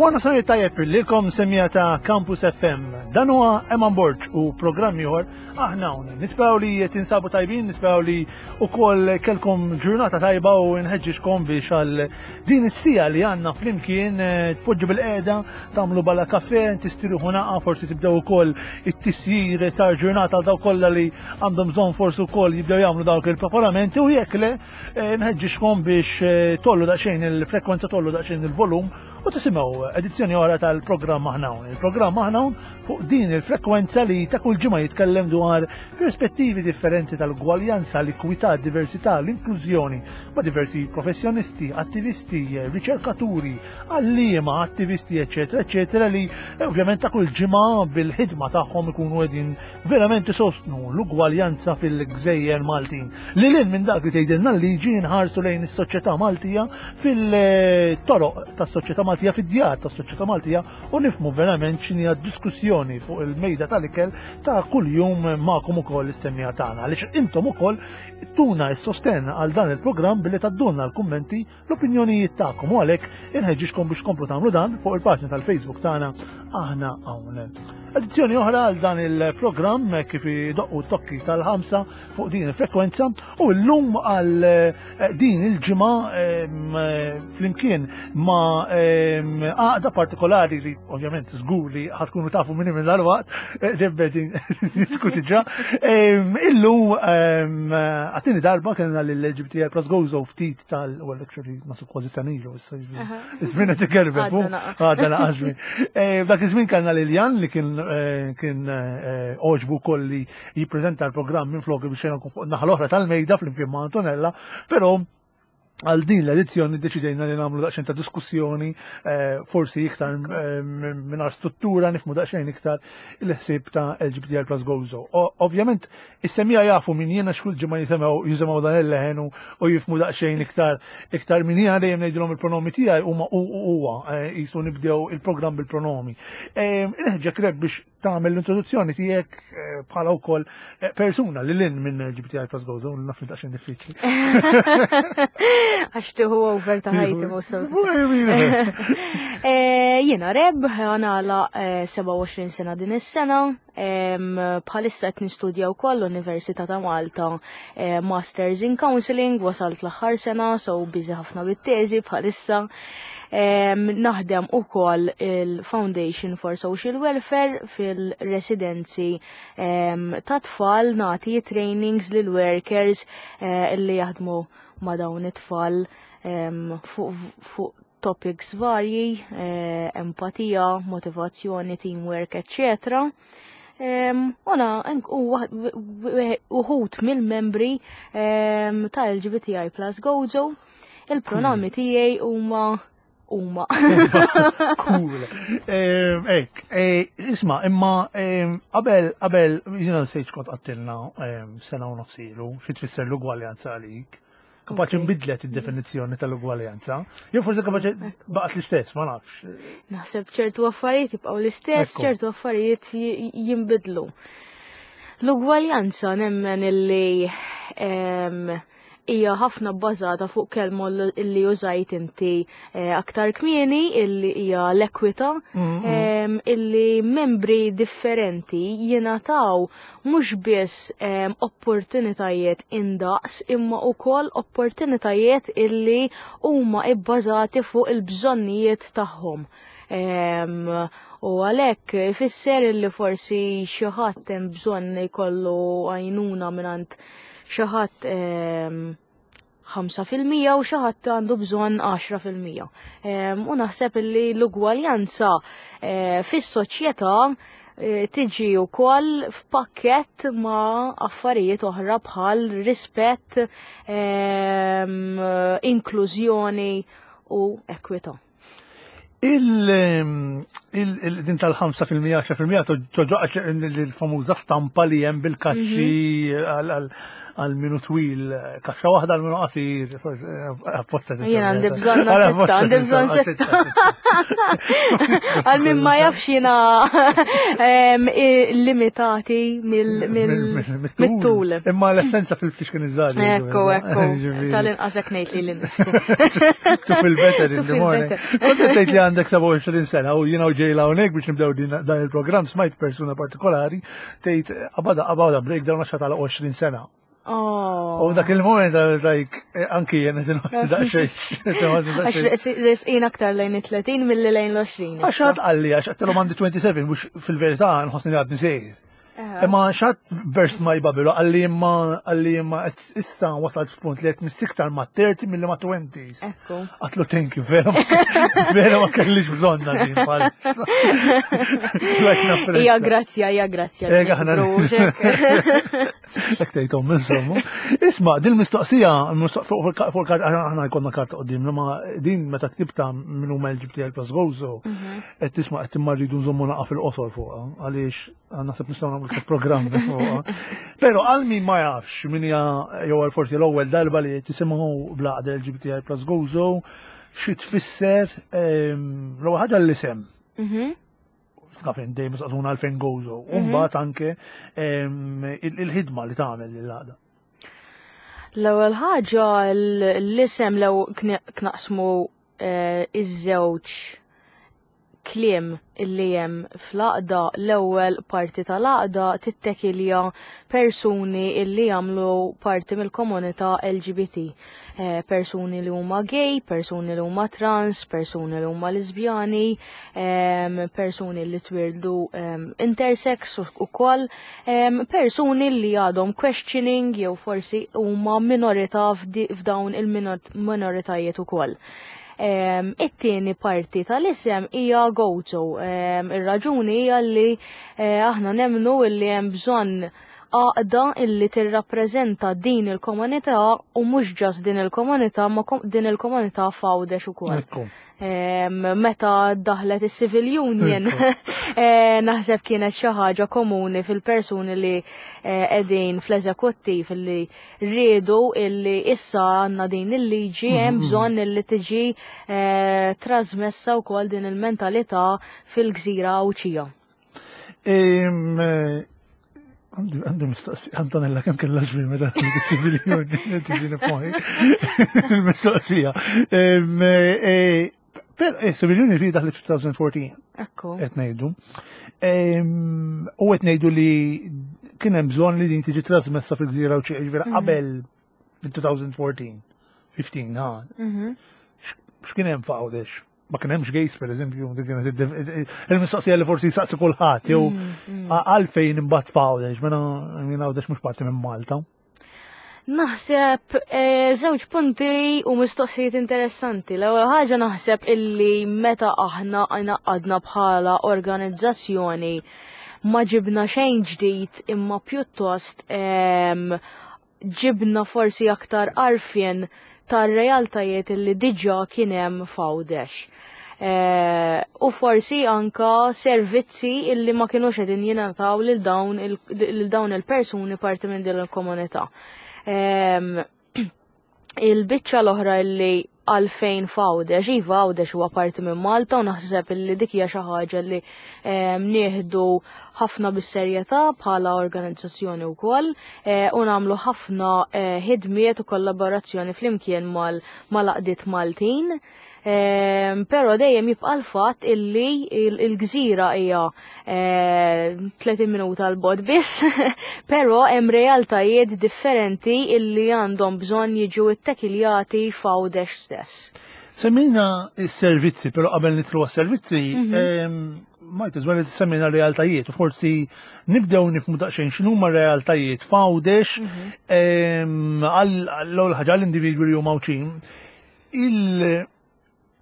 Wara nofsinhar tajjeb lilkom semija ta' Campus FM. Dan huwa Eman Borg u programm ieħor aħna hawn. Nisperaw li tinsabu tajbin, nisperaw li wkoll kelkom ġurnata tajba u nħeġġiġkom biex għal din is-sija li għandna flimkien eh, tpoġġu bil-qiegħda, tagħmlu bala kafe, tistiruħu naqa, forsi tibdew ukoll it-tisjir ta' ġurnata għal dawk kollha li għandhom bżonn forsi wkoll jibdew jagħmlu dawk il-preparamenti u jekk le Eh, nħeġġixkom biex eh, tollu daqsxejn il-frekwenza tollu daqsxejn il-volum u tisimgħu edizzjoni oħra tal-programm Aħna Il-programm Aħna fuq din il-frekwenza li ta' kull ġimgħa jitkellem dwar perspettivi differenti tal-gwaljanza, l-ikwità, diversità, l-inklużjoni ma' diversi professjonisti, attivisti, riċerkaturi, għalliema, attivisti, eċetera, eċetera, li eh, ovvjament ta' kull ġimgħa bil-ħidma tagħhom ikunu qegħdin verament isostnu l-ugwaljanza fil-gżejjer Maltin. Lil hinn minn dak li tgħidilna l-liġi nħarsu lejn is-soċjetà Maltija fil-toroq tas-soċjetà Maltija fid-djar tas-soċjetà Maltija u nifhmu verament x'inhi diskussjoni fuq il-mejda tal-ikel ta' kuljum magħkom ukoll is-semmiegħa tagħna. Għaliex intom ukoll tuna s-sostenn għal dan il-programm billi taddulna l-kummenti l-opinjonijiet tagħkom u għalhekk inħeġġixkom biex tkomplu tagħmlu dan fuq il-paġna tal-Facebook tagħna aħna hawn. Edizzjoni oħra għal dan il-programm kif idoqqu t-tokki tal-ħamsa fuq din il-frekwenza u llum għal eh, din il-ġimgħa eh, flimkien ma' għaqda partikolari li ovvjament żgur li ħatkunu tafu minni minn dal-waqt, eh, debbe diskuti ġa. Illum għattini darba kellna l-LGBTI Plus Gozo ftit tal, well actually nasu kważi sanilu, Iż-żmien qed ikerbeb, għadda naqas żmien. Eh, dak iż-żmien kellna Liljan li kien eh, kien eh, oġbu wkoll li jippreżenta l-programm minn flok biex nkun fuq naħa l-oħra tal-mejda flimkien ma' Antonella, però għal din l-edizzjoni deċidejna li nagħmlu daqsxejn ta' diskussjoni forsi iktar mingħajr struttura nifmu daqsxejn iktar il-ħsieb ta' LGBTI Plus Gozo. Ovvjament Is-semmiegħa jafu min jien għax kull ġimgħa jisimgħu jisimgħu dan il-leħen u jifhmu daqsxejn iktar iktar min jiena dejjem ngħidilhom il-pronomi tiegħi huma u huwa eh, qisu nibdew il-programm bil-pronomi. Eh, Inħeġġek Reb biex tagħmel l-introduzzjoni tiegħek eh, bħala wkoll persuna li lin minn LGBTI plus Gozo, naf li daqsxejn diffiċli. Għax tieħu over ta' ħajti mhux Jiena Reb, għanala 27 sena din is-sena, Bħalissa qed nistudja wkoll l-Università ta' Malta eh, Masters in Counseling, wasalt l-aħħar sena, so busy ħafna bit-teżi bħalissa. Naħdem ukoll il-Foundation for Social Welfare fil-residenzi ta' tfal nagħti trainings lil workers eh, li jaħdmu ma' dawn it-tfal fuq topics varji, eh, empatija, motivazzjoni, teamwork, etc. Una, uħut mill-membri ta' LGBTI plus Gozo, il-pronomi hmm. tiegħi huma huma. Cool. Ek, eh, isma, imma qabel qabel jiena nsejt kont qattilna sena u nofsilu xi tfisser l-ugwaljanza għalik. Kapaċi nbidlet id-definizzjoni tal-ugwaljanza. Jew forsi kapaċi baqgħet l-istess, ma nafx. Naħseb ċertu affarijiet jibqgħu l-istess, ċertu affarijiet jinbidlu. L-ugwaljanza nemmen illi hija ħafna bbażata fuq kelma illi użajt inti eh, aktar kmieni illi hija l-ekwita illi membri differenti jingħataw mhux biss ehm, opportunitajiet indaqs imma wkoll opportunitajiet illi huma ibbażati fuq il-bżonnijiet tagħhom. Ehm, u għalhekk ifisser illi forsi xi ħadd hemm bżonn jkollu għajnuna mingħand xi ħadd ehm, 5% u xi ħadd għandu bżonn 10%. Ehm, u naħseb li l-ugwaljanza eh, fis-soċjetà eh, tiġi wkoll f'pakkett ma' affarijiet oħra bħal rispett, ehm, inklużjoni u ekwità. Il-din tal-5% 10% toġoqx l-famuża stampa li hemm bil-kaxxi mhm. Għal minu twil, kaxxa waħda għal minu qasir, apposta. Jien għandi bżonn sitta, għandi bżonn sitta. Għal min ma jafx jiena limitati mill-tul. Imma l-essenza fil-fliexken iż-żgħar. Ekku, ekku. Tal-inqas hekk ngħid li l-nifsi. To feel better in the morning. Kont tgħid li għandek 27 sena u jiena u ġejla hawnhekk biex nibdew dan il-programm smajt persuna partikolari tgħid qabada qabada breakdown għax tal 20 sena. Oh. U dak il-moment like eh, anki jien qed inħoss daqsxejn. Għax resqin aktar lejn it-30 milli lejn l-20. Għax għad qalli għax għattilhom għandi 27 mhux fil-verità nħossni li għadni sejr. Imma xat burst my bubble għalli imma għalli imma issa wasalt f'punt li qed missiktar ma' 30 milli ma' 20s. Ekku. Għatlu thank you, vera vera ma kellix bżonna din bħalissa. Hija grazzja, hija grazzja. Ega ħna. Hekk tgħidhom insomma. Isma' din mistoqsija fuq karta aħna jkollna karta qudiemna ma din meta ktibta minn huma LGBT plus Gozo mhm. qed tisma' qed imma rridu nżommu naqa' fil-qosor fuqha għaliex Naħseb nistgħu nagħmlu programm fuqha. Però għal min ma jafx min hija jew għal forsi l-ewwel darba li tisimgħu bl-għaqda LGBTI plus Gozo, xi tfisser ehm, l-ewwel ħaġa l-isem. Mhm. Taf dejjem saqsuna għalfejn Gozo. U mhm. mbagħad anke ehm, il-ħidma li tagħmel l-għaqda. L-ewwel ħaġa l-isem lew knaqsmu eh, iż-żewġ kliem illi hemm fl-għaqda l-ewwel parti tal-għaqda tittekilja persuni illi jagħmlu parti mill-komunità LGBT. Eh, persuni li huma gay, persuni li huma trans, persuni li huma lesbjani, persuni li twildu intersex ukoll, persuni li għadhom questioning jew forsi huma minorità f'dawn il-minoritajiet ukoll. It-tieni parti tal-isem hija Gozo. Ir-raġuni hija li eh, aħna nemnu li hemm bżonn għaqda illi tirrappreżenta din il-komunità u mhux ġas din il-komunità ma din il-komunità f'Għawdex ukoll. Meta daħlet is-Civil Union, eh, naħseb kienet xi ħaġa komuni fil-persuni li eh, qegħdin fl-eżekuttiv li riedu illi issa għandna din il-liġi hemm mhm. bżonn illi tiġi eh, trasmessa wkoll din il-mentalità fil-gżira Għawdxija. Għandi mistoqsija, Antonella kemm kellha żmien meta civil union tiġini f'moħħi. Il-mistoqsija. Eh, per eh, civil union fi daħlet 2014. Ekku. Qed ngħidu. U qed ngħidu li kien hemm bżonn li din tiġi trasmessa fil-gżira u ġifieri mhm. qabel fil-2014, 15, ha. Mhm. X'kien hemm f'Għawdex? ma kien hemmx gays per eżempju, dik kienet il-mistoqsija li forsi jsaqsi kulħadd jew mm, mm. għalfejn imbagħad f'Għawdex, mela minn Għawdex mhux parti minn Malta. Naħseb eh, żewġ punti u mistoqsijiet interessanti. L-ewwel ħaġa naħseb illi meta aħna għadna bħala organizzazzjoni ma ġibna xejn ġdid imma pjuttost ehm, ġibna forsi aktar għarfien tar-realtajiet li diġà kien hemm f'Għawdex. Eh, u forsi anka servizzi illi ma kinux qegħdin jingħataw lil dawn il-persuni parti minn din il-komunità. Ehm, il-biċċa l-oħra illi għalfejn f'Għawdex, iva Għawdex huwa parti minn Malta u naħseb illi dik hija xi ħaġa li ehm, nieħdu ħafna bis-serjetà bħala organizzazzjoni wkoll eh, u nagħmlu ħafna eh, ħidmiet u kollaborazzjoni flimkien mal-għaqdiet Maltin. Ehm, però dejjem jibqa' l-fatt illi il-gżira hija 30 eh, minuta l bot biss, però hemm realtajiet differenti illi għandhom bżonn jiġu ittekiljati f'Għawdex stess. Semmejna s-servizzi, però qabel nitlu għas-servizzi, mhm. ehm, might as well semmejna realtajiet u forsi nibdew nifmu daqsxejn x'inhuma realtajiet f'Għawdex mhm. ehm, għall-ewwel ħaġa l-individwi li huma Għawdxin Il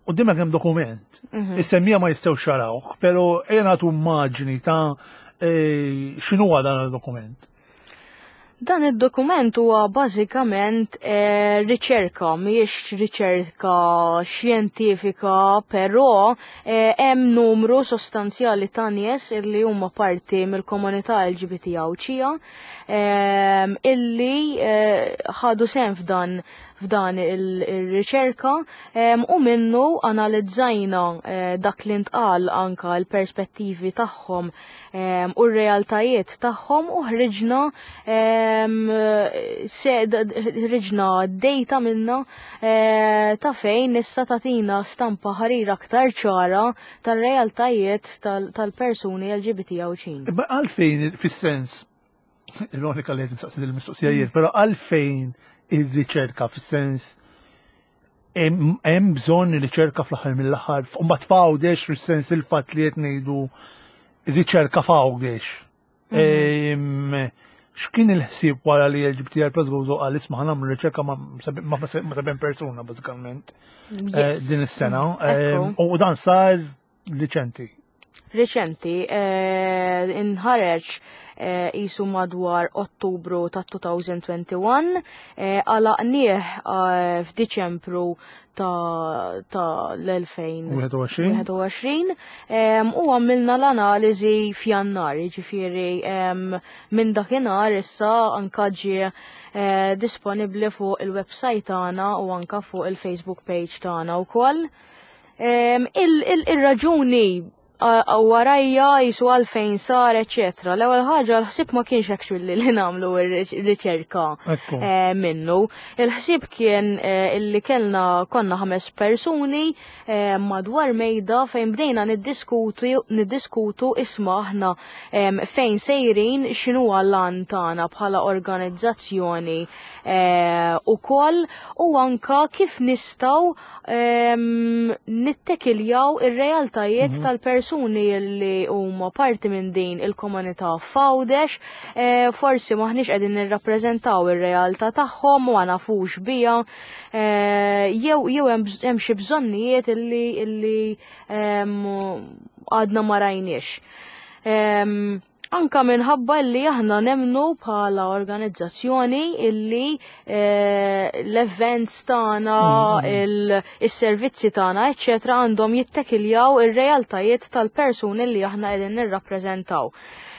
Qudiemek hemm dokument. Mhm. Is-semmija ma jistgħux xarawh, però ejja nagħtu immaġni ta' e, x'inhu dan il-dokument. Dan id-dokument huwa bażikament eh, riċerka, mhijiex riċerka xjentifika, però eh, hemm numru sostanzjali ta' nies illi huma parti mill-komunità LGBT Għawdxija eh, illi ħadu sehem f'dan f'dan il-riċerka u minnu analizzajna dak li ntqal anka l-perspettivi tagħhom u r-realtajiet tagħhom u ħriġna ħriġna data minna eh, ta' fejn issa tagħtina stampa ħarira aktar ċara tar-realtajiet tal-persuni LGBT Għawdxin. Imma għalfejn fis-sens ironika li qed nistaqsi il-mistoqsija jien, però għalfejn ir-riċerka fis-sens hemm bżonn riċerka fl-aħħar mill-aħħar, mbagħad f'Għawdex fis-sens il-fatt li qed ngħidu riċerka f'Għawdex. Mhm. X'kien il-ħsieb wara li LGBTI Plus Gozo qal isma' nagħmlu riċerka ma' seben persuna bażikament eh, din is-sena. U dan sar riċenti. Riċenti, eh, inħareġ eh, jisu madwar Ottubru ta' 2021, eh, għalaqnieh f'Diċembru ta' l-2021 u għamilna l-analiżi f'Jannar, ġifieri minn dakinhar issa anka ġie disponibbli fuq il-website tagħna u anka fuq il-Facebook page tagħna wkoll. Il-raġuni warajja jisu għalfejn sar, eccetera. L-ewwel ħaġa l-ħsieb ma kienx actually li nagħmlu r-riċerka eh, minnu. Il-ħsieb kien eh, illi kellna konna ħames persuni eh, madwar mejda fejn bdejna niddiskutu niddiskutu isma' aħna fejn sejrin x'inhu l-għan tagħna bħala organizzazzjoni ukoll u anka kif nistgħu nittekiljaw ir-realtajiet mhm. tal-persuni li huma parti minn din il-komunità f'Għawdex, eh, forsi maħniex qegħdin nirrappreżentaw ir-realtà tagħhom u ma nafux biha, eh, jew jew hemm xi bżonnijiet illi illi għadna ma rajniex. Anka minħabba li aħna nemnu bħala organizzazzjoni illi eh, l-events tagħna, mm-hmm. is-servizzi tagħna, eċċetera, għandhom jittekiljaw ir-realtajiet tal-persuni li aħna qegħdin nirrappreżentaw.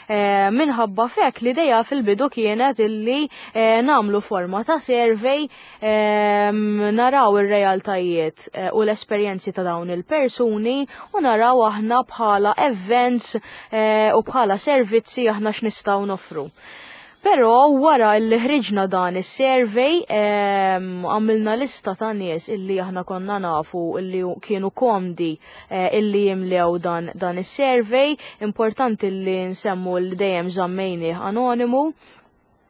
Eh, minħabba fek l-ideja fil-bidu kienet illi eh, namlu forma ta' survey naraw ir-realtajiet eh, u l-esperjenzi ta' dawn il-persuni u naraw aħna bħala events eh, u bħala servizzi aħna x'nistgħu nofru. Però wara li ħriġna dan is-survey għamilna lista ta' nies illi aħna konna nafu illi kienu komdi eh, illi jimlew dan, dan is-survey, importanti li nsemmu li dejjem żammejnih anonimu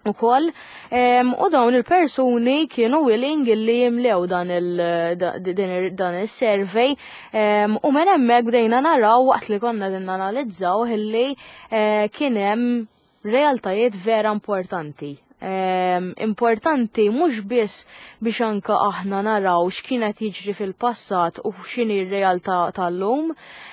ukoll u dawn il-persuni kienu willing illi jimlew dan il survey u minn hemmhekk bdejna naraw waqt li konna din nanalizzaw illi eh, kien hemm realtajiet vera importanti. Importanti mhux biss biex anka aħna naraw x'kienet jiġri fil-passat u x'inhi r-realtà tal-lum,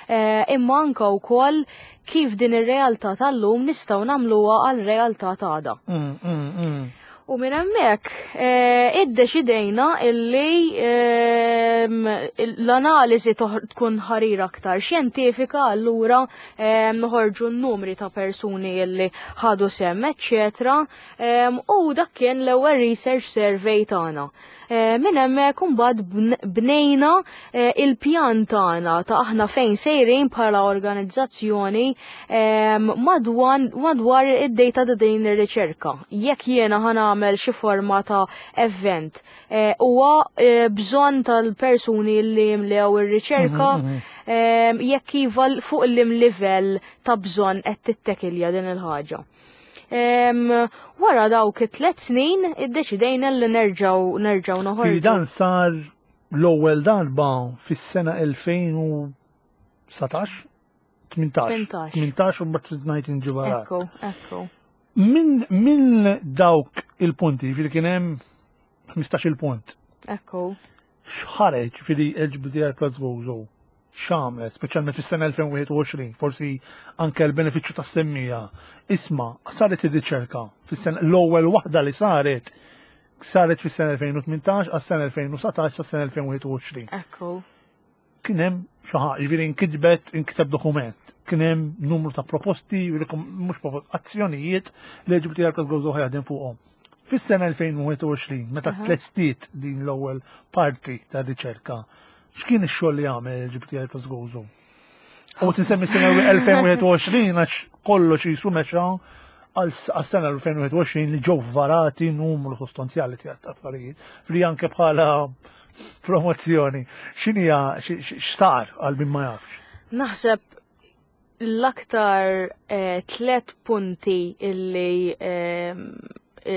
eh, imma anka wkoll kif din ir-realtà tal-lum nistgħu nagħmluha għal realtà t'għada. Mm, mm, mm. U minn hemmhekk eh, iddeċidejna illi ehm, l-analiżi tkun ħarir aktar xjentifika allura ehm, noħorġu n-numri ta' persuni illi ħadu sem, eċċetera. Ehm, u dak kien l-ewwel research survey tagħna. Eh, minn hemmhekk imbagħad bnejna eh, il-pjan tagħna ta' aħna fejn sejrin bħala organizzazzjoni ehm, madwar id-data ta' din ir-riċerka. Jekk jiena ħanamel xi forma ta' event eh, huwa bżonn tal-persuni li jimlew ir-riċerka mhm, mhm. Ehm, jekk iva fuq l-im livell ta' bżonn qed tittekilja din il-ħaġa. Wara dawk it-tlet snin iddeċidejna li nerġgħu nerġgħu noħorġu. Dan sar l-ewwel darba fis-sena 2017 18 18 u mbagħad 19 ġibara. Ekku, ekku. Min min dawk il-punti, fil kien hemm 15 il-punt. Ekku. X'ħareġ fili LGBTI plus Gozo? x'għamlet, speċjalment fis-sena 2021, forsi anke l-benefiċċju tas-semmija. Isma' saret ir-riċerka fis-sena l-ewwel waħda li saret saret fis-sena 2018 għas-sena 2019 sas-sena 2021. Ekku. Kien hemm xi ħaġa, jiġifieri nkitbet inkiteb dokument. Kien hemm numru ta' proposti, mhux proposti, azzjonijiet li LGBT Arcos Gozo ħajadin fuqhom. Fis-sena 2021, meta tlestiet din l-ewwel parti ta' riċerka, x'kien ix-xogħol li għamel LGBT Arcos Gozo? U tinsemmi sena 2021 għax kollox jisu mexa għas-sena 2021 li ġew varati numru sostanzjali ta' affarijiet li anke bħala promozzjoni. X'inhija x'sar għal min ma jafx? Naħseb l-aktar eh, tlet punti illi eh,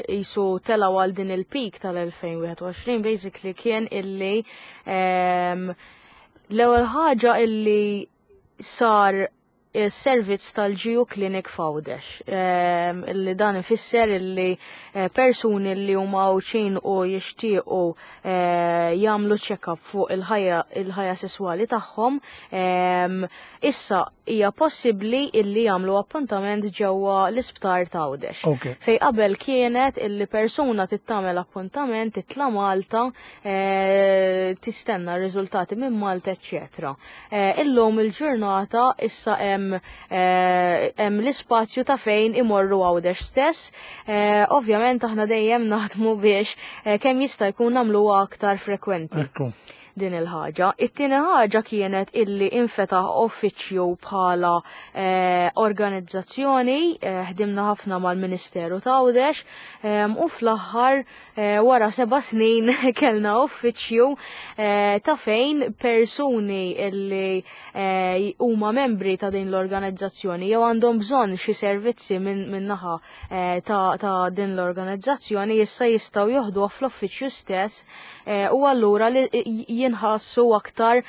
jisu telaw għal din il-peak tal-2021 basically kien illi ehm, l-ewwel ħaġa illi sar servizz tal-GU Clinic f'Għawdex. Ehm, illi dan ifisser illi eh, persuni li huma Għawdxin u jixtiequ eh, jagħmlu check-up fuq il-ħajja il-ħajja sesswali tagħhom, ehm, issa hija possibbli illi jagħmlu appuntament ġewwa l-isptar ta' Għawdex. Fej qabel kienet illi persuna tittamel appuntament titla' Malta, eh, tistenna r-riżultati minn Malta, eċċetera. Eh, illum il-ġurnata issa hemm eh, hemm l-ispazju ta' fejn imorru Għawdex stess. Eh, ovvjament aħna dejjem naħdmu biex kemm jista' jkun nagħmluha aktar frekwenti. Din il-ħaġa. It-tieni ħaġa kienet illi infetaħ uffiċċju bħala organizzazzjoni, ħdimna ħafna mal-Ministeru ta' Għawdex u fl-aħħar Eh, wara seba' snin kellna uffiċċju eh, ta' fejn persuni illi eh, huma membri ta' din l-organizzazzjoni jew għandhom bżonn xi servizzi minn naħa ta' din l-organizzazzjoni issa jistgħu joħduha fl-uffiċċju stess u allura li jinħassu aktar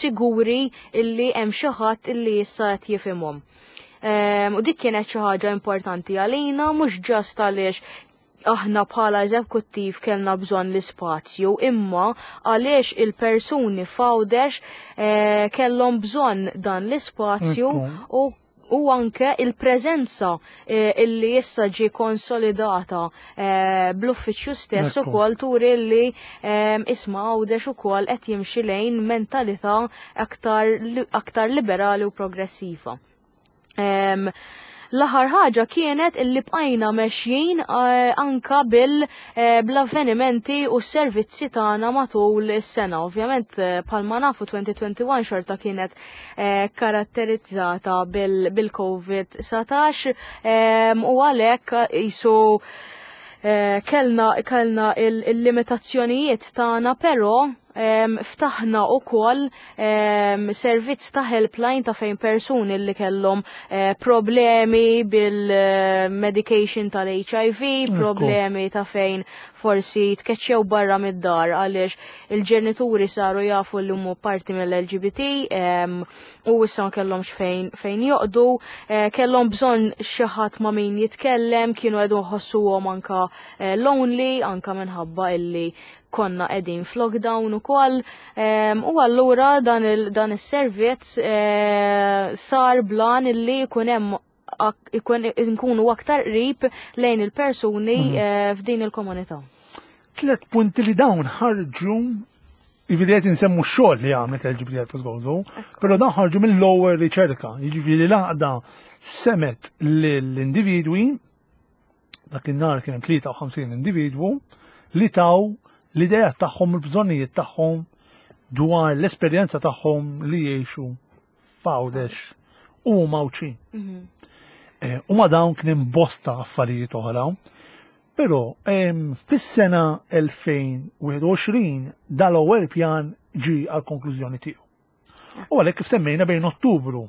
siguri illi hemm xi ħadd illi issa qed jifhimhom. U dik kienet xi ħaġa importanti għalina mhux ġast għaliex aħna bħala eżekuttiv kellna bżonn l-ispazju, imma għaliex il-persuni f'Għawdex eh, kellhom bżonn dan l-ispazju u u anke il-preżenza eh, illi issa ġi konsolidata eh, bl-uffiċċju stess ukoll turi li isma' Għawdex ukoll qed jimxi lejn mentalità aktar, aktar liberali u progressiva. L-aħħar ħaġa kienet illi bqajna mexjin eh, anka bil eh, bl-avvenimenti u s-servizzi tagħna matul is-sena. Ovvjament eh, bħalma nafu 2021 xorta kienet karatterizzata bil-COVID-19 u għalhekk jisu kellna kellna il-limitazzjonijiet tagħna però Ftaħna ukoll servizz ta' helpline ta' fejn persuni li kellhom eh, problemi bil-medication tal-HIV, problemi ta' fejn forsi tkeċċew barra mid-dar għaliex il-ġenituri saru jafu li huma parti mill-LGBT u issa ma kellhomx fejn fejn joqdu, eh, kellhom bżonn xi ħadd ma' min jitkellem, kienu qegħdu jħossuhom anka eh, lonely, anka minħabba illi konna qegħdin f'lockdown ukoll u allura dan is-servizz eh, sar blan illi jkun hemm nkunu aktar qrib lejn il-persuni mhm. eh, f'din il-komunità. Tlet punti li dawn ħarġu Jiġifieri qed insemmu x-xogħol li għamlet l-LGBT Gozo, però dan ħarġu mill-ewwel riċerka, jiġifieri l-għaqda semet lill-individwi Dakinhar kien hemm 53 individwu li taw l-idejat tagħhom u l-bżonnijiet tagħhom dwar l-esperjenza tagħhom li jgħixu f'Għawdex u huma Għawdxin. Mhm. Eh, u ma dawn kien hemm bosta affarijiet oħra. Però fis-sena 2021 dal-ewwel pjan ġi għal konklużjoni tiegħu. U għalhekk kif semmejna bejn Ottubru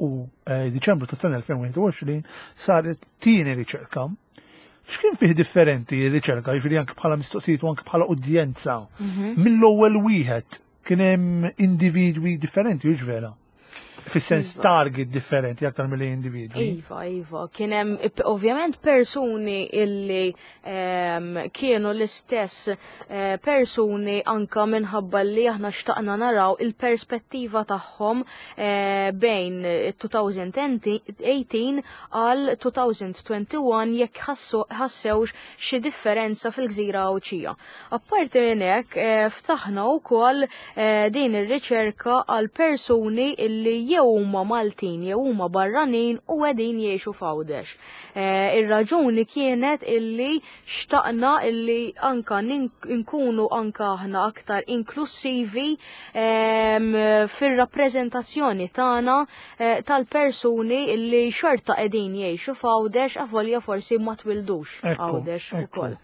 u eh, Diċembru tas-sena 2021 saret tieni riċerka. X'kien fih differenti r-riċerka, jiġifieri anke bħala mistoqsijiet u anke bħala udjenza mhm. mill-ewwel wieħed kien hemm individwi differenti, hux vera? Fis-sens Iva. target differenti aktar milli individwi. Iva, iva, kien hemm ovvjament persuni illi kienu l-istess persuni anka minħabba li aħna xtaqna naraw il-perspettiva tagħhom bejn 2018 għal 2021 jekk ħassewx xi differenza fil-gżira Għawdxija. Apparti minn hekk, ftaħna wkoll din ir-riċerka għal persuni illi jew huma Maltin jew huma barranin u qegħdin jgħixu f'Għawdex. Ir-raġuni kienet illi xtaqna illi anka nkunu anka aħna aktar inklussivi fir-rappreżentazzjoni tagħna tal-persuni illi xorta qegħdin jgħixu f'Għawdex avolja forsi ma twildux Għawdex ukoll.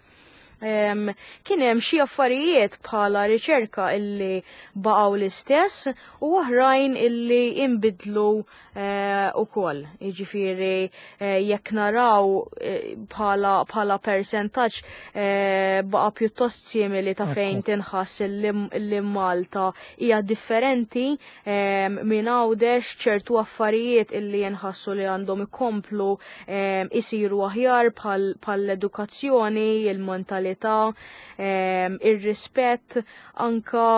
Kien hemm xi affarijiet bħala riċerka illi baqgħu l-istess u oħrajn illi inbidlu ukoll. Jiġifieri jekk naraw bħala persentaġġ baqa' pjuttost simili ta' fejn tinħass illi Malta hija differenti minn Għawdex, ċertu affarijiet illi jinħassu li għandhom ikomplu isiru aħjar bħall-edukazzjoni, il-mentalità, ir-rispett, anka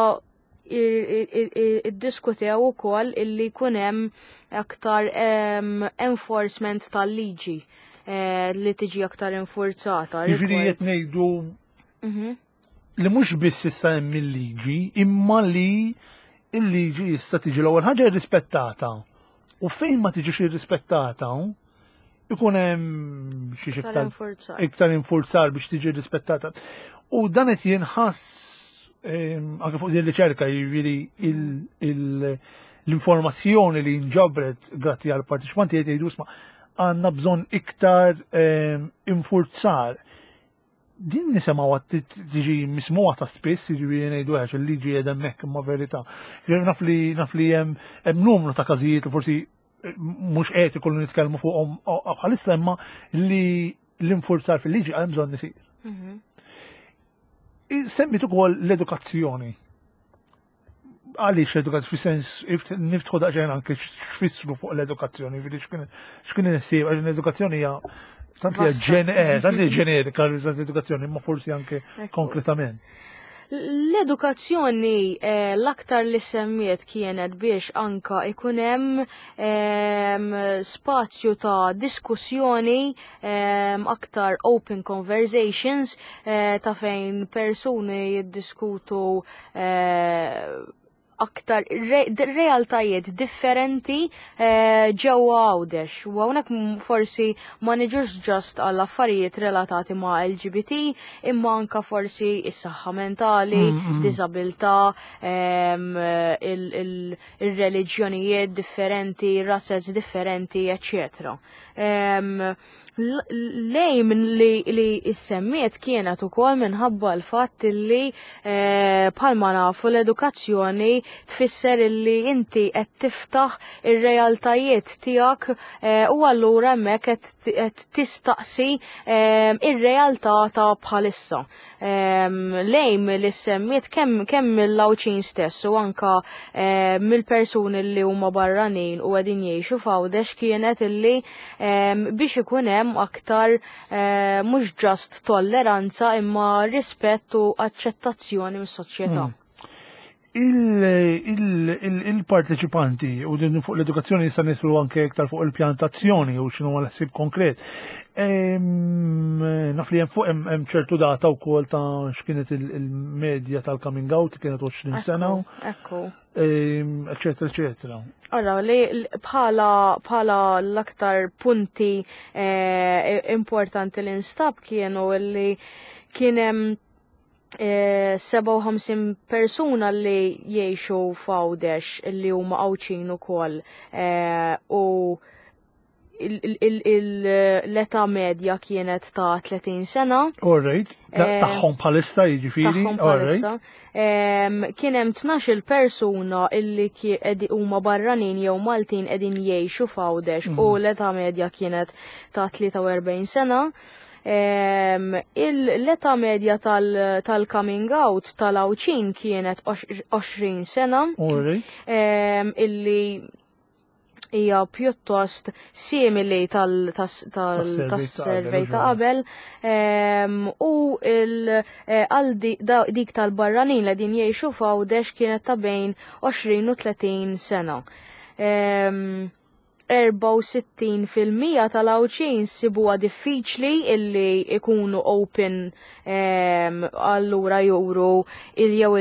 iddiskutew ukoll illi jkun hemm aktar enforcement tal-liġi li tiġi aktar infurzata. Jiġifieri qed ngħidu li mhux biss issa hemm il-liġi, imma li il-liġi issa tiġi l-ewwel ħaġa irrispettata. U fejn ma tiġix irrispettata, ikun hemm xi Iktar infurzar. iktar infurzar biex tiġi rispettata. U dan qed jinħass anke fuq din riċerka, jiġifieri l-informazzjoni li nġabret grazzi għal partiċipanti qed jgħidu isma' għandna bżonn iktar infurzar. Din nisimgħu tiġi mismuha ta' spiss, jiġifieri ngħidu għax il-liġi qiegħda hemmhekk imma verità. Jiġifieri naf li naf li hemm numru ta' każijiet li forsi mhux etiku li nitkellmu fuqhom bħalissa, imma li l-infurzar fil-liġi hemm bżonn isir. Semmit ukoll l-edukazzjoni. Għaliex l-edukazzjoni, fis-sens, niftħu daqsxejn anke x'fissru fuq l-edukazzjoni, jiġifieri x'kien il-ħsieb, għax l-edukazzjoni hija tant li hija Vasta. tant li hija ġenerika l-edukazzjoni, imma forsi anke konkretament. L-edukazzjoni l-aktar li semmiet kienet biex anka ikun hemm spazju ta' diskussjoni, aktar open conversations ta' fejn persuni jiddiskutu aktar realtajiet differenti ġewwa Għawdex. U hawnhekk forsi ma niġux ġast għall affarijiet relatati ma' LGBT, imma anka forsi is-saħħa mentali, diżabilità, ir-reliġjonijiet differenti, razzez differenti, eccetera. Lejn li issemmiet kienet ukoll minħabba l-fatt li bħalma nafu l-edukazzjoni tfisser li inti qed tiftaħ ir-realtajiet tiegħek u allura hemmhekk qed tistaqsi ir-realtà ta' bħalissa. Lejn li semmiet kemm mill-Għawdxin stess u anka mill-persuni li huma barranin u qegħdin jgħixu f'Għawdex kienet illi biex ikun hemm aktar mhux ġast tolleranza imma rispett u aċċettazzjoni mis-soċjetà. Il-parteċipanti u din fuq l-edukazzjoni jista' nidħlu anke iktar fuq il-pjantazzjoni u x'inhu l-ħsieb konkret. Naf li hemm fuq hemm ċertu data wkoll ta' x'kienet il-medja tal-coming out li kienet 20 sena. Eccetera, eccetera. Allora, li bħala l-aktar punti importanti li nstab kienu li kien hemm 57 persuna li jgħixu f'Għawdex li huma Għawdxin ukoll u l-età medja kienet ta' 30 sena. All right. Tagħhom bħalissa jiġifieri. Tagħhom bħalissa. Kien hemm 12 persuna illi huma barranin jew Maltin qegħdin jgħixu f'Għawdex u l-età medja kienet ta' 43 sena. L-età medja tal-coming out tal-Għawdxin kienet 20 sena. All right. Illi Hija pjuttost simili tas-survey ta' qabel u għal dik tal-barranin li din jgħixu f'Għawdex kienet ta' bejn 20 u 30 sena. 64% tal-Għawdxin sibuha diffiċli illi ikunu open allura juru jew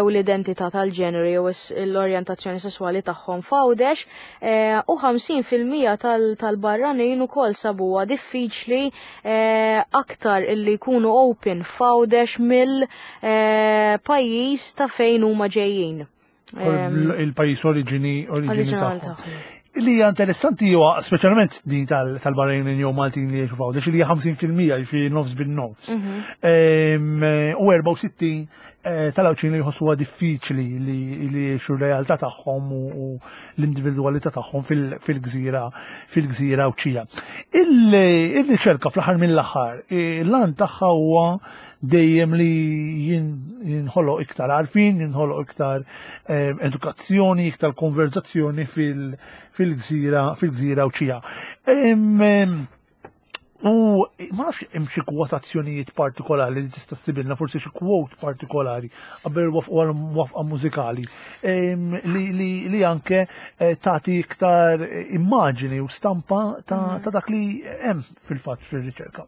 l-identità tal-ġeneru jew l-orjentazzjoni sesswali tagħhom f'Għawdex eh, u 50% tal-barranin ukoll sabuha diffiċli eh, aktar illi jkunu open f'Għawdex mill-pajjiż eh, ta' fejn huma ġejjin. Il-pajjiż oriġini oriġini tagħhom. Li hija interessanti huwa speċjalment din tal-barranin jew Maltin li jgħixu f'Għawdex li hija 50% jiġifieri nofs bin-nofs. U 64 eh, tal-Għawdxin li jħossuha diffiċli li jgħixu r-realtà tagħhom u l-individwalità tagħhom fil-gżira fil-gżira Għawdxija. Il-riċerka fl-aħħar mill-aħħar, l-għan tagħha huwa dejjem li jinħoloq iktar għarfien, jinħoloq iktar eh, edukazzjoni, iktar konverzazzjoni fil-gżira fil-gżira Għawdxija. U ma nafx hemm xi kwotazzjonijiet partikolari li tista' ssibilna, forsi xi quote partikolari qabel wafqa mużikali li, li, li anke eh, tagħti iktar immaġini u stampa ta', ta dak li hemm fil-fatt fir-riċerka.